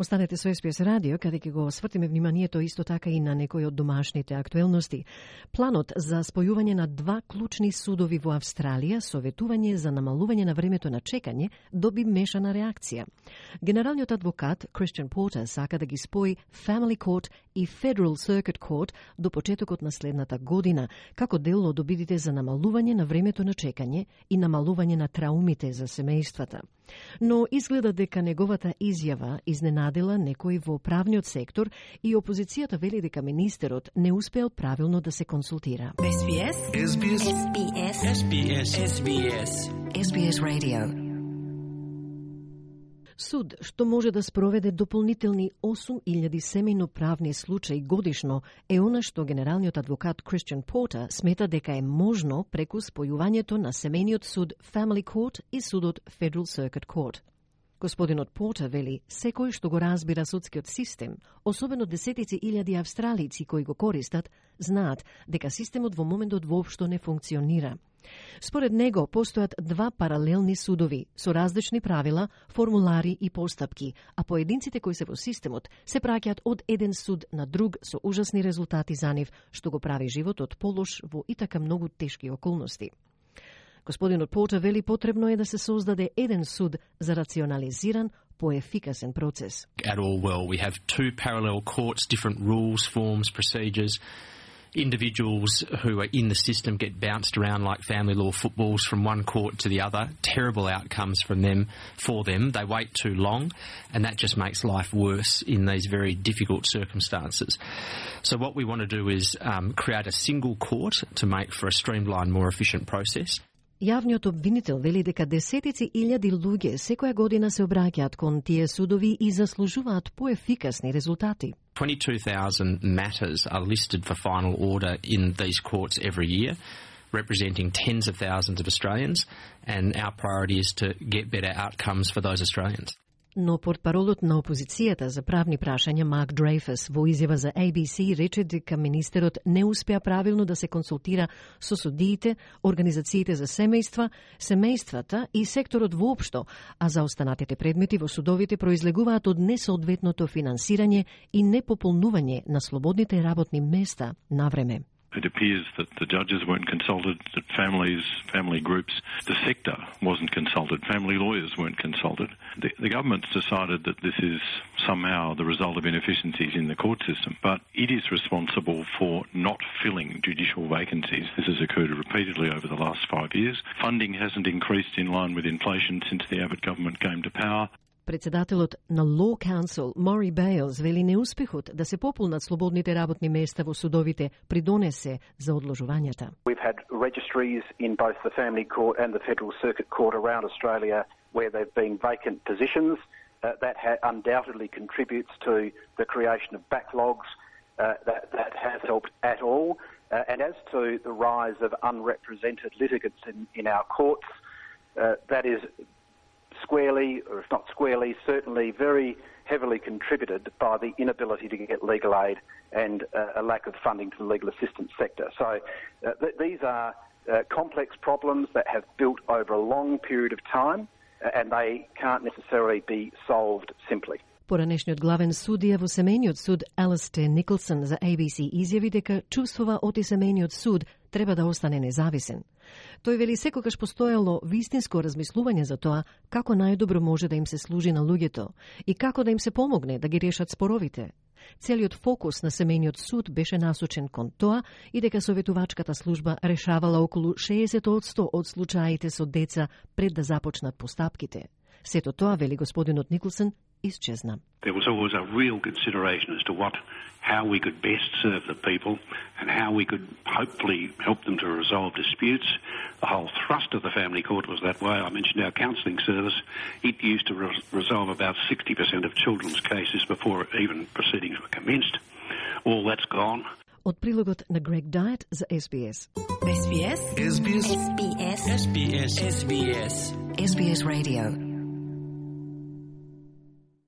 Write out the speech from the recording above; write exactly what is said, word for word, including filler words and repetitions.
Останете со Ес Би Ес радио, каде ќе го свртиме вниманието исто така и на некои од домашните актуелности. Планот за спојување на два клучни судови во Австралија, советување за намалување на времето на чекање, доби мешана реакција. Генералниот адвокат Кристиан Портер сака да ги спои Family Court и Federal Circuit Court до почетокот на следната година, како дел од обидите за намалување на времето на чекање и намалување на траумите за семејствата. Но изгледа дека неговата изјава изненадила некои во правниот сектор и опозицијата вели дека министерот не успеал правилно да се консултира. Ес Би Ес. Ес Би Ес. Ес Би Ес. Ес Би Ес. Ес Би Ес. Ес Би Ес Radio. Суд, што може да спроведе дополнителни осум илјади семејно-правни случаи годишно, е она што генералниот адвокат Кристиан Портер смета дека е можно преку спојувањето на семејниот суд Family Court и судот Federal Circuit Court. Господинот Портер вели, секој што го разбира судскиот систем, особено десетици илјади австралици кои го користат, знаат дека системот во моментот воопшто не функционира. Според него, постојат два паралелни судови со различни правила, формулари и постапки, а поединците кои се во системот се праќаат од еден суд на друг со ужасни резултати за нив, што го прави животот полош во и така многу тешки околности. Господинот Портер вели потребно е да се создаде еден суд за рационализиран, поефикасен процес. At all well, we have two parallel courts, different rules, forms, procedures. Individuals who are in the system get bounced around like family law footballs from one court to the other. Terrible outcomes from them for them. They wait too long, and that just makes life worse in these very difficult circumstances. So what we want to do is um, create a single court to make for a streamlined, more efficient process. Јавниот обвинител вели дека десетици илјади луѓе секоја година се обраќаат кон тие судови и заслужуваат поефикасни резултати. twenty-two thousand matters are listed for final order in these courts every year, representing tens of thousands of Australians, and our priority is to get better outcomes for those Australians. Но портпаролот на опозицијата за правни прашања Марк Дрейфус во изјава за Ей Би Си рече дека министерот не успеа правилно да се консултира со судиите, организациите за семејства, семејствата и секторот воопшто, а за останатите предмети во судовите произлегуваат од несоодветното финансирање и непополнување на слободните работни места на време. It appears that the judges weren't consulted, that families, family groups, the sector wasn't consulted, family lawyers weren't consulted. The, the government's decided that this is somehow the result of inefficiencies in the court system, but it is responsible for not filling judicial vacancies. This has occurred repeatedly over the last five years. Funding hasn't increased in line with inflation since the Abbott government came to power. Председателот на Law Council Мори Бейлс вели неуспехот да се пополнат слободните работни места во судовите придонесе за одложувањата. We've had registries in both the Family Court and the Federal Circuit Court around Australia where there've been vacant positions. Uh, that ha- undoubtedly contributes to the creation of backlogs. Uh, that, that has helped at all. Uh, and as to the rise of unrepresented litigants in, in our courts, uh, that is squarely, or if not squarely, certainly very heavily contributed by the inability to get legal aid and uh, a lack of funding to the legal assistance sector. So uh, th- these are uh, complex problems that have built over a long period of time, uh, and they can't necessarily be solved simply. Поранешниот главен судија во семејниот суд Алистер Николсон за Ей Би Си изјави дека чувствува оти семејниот суд треба да остане независен. Тој вели секогаш постоело вистинско размислување за тоа како најдобро може да им се служи на луѓето и како да им се помогне да ги решат споровите. Целиот фокус на семејниот суд беше насочен кон тоа и дека советувачката служба решавала околу шеесет одсто од случаите со деца пред да започнат постапките. Сето тоа, вели господинот Николсон, изчезна. There was always a real consideration as to what, how we could best serve the people and how we could hopefully help them to resolve disputes. The whole thrust of the Family Court was that way. I mentioned our counselling service. It used to re- resolve about sixty percent of children's cases before even proceedings were commenced. All that's gone. Од прилогот на Грег Дайет за Ес Би Ес. Ес Би Ес. Ес Би Ес. Ес Би Ес. Ес Би Ес. Ес Би Ес Radio.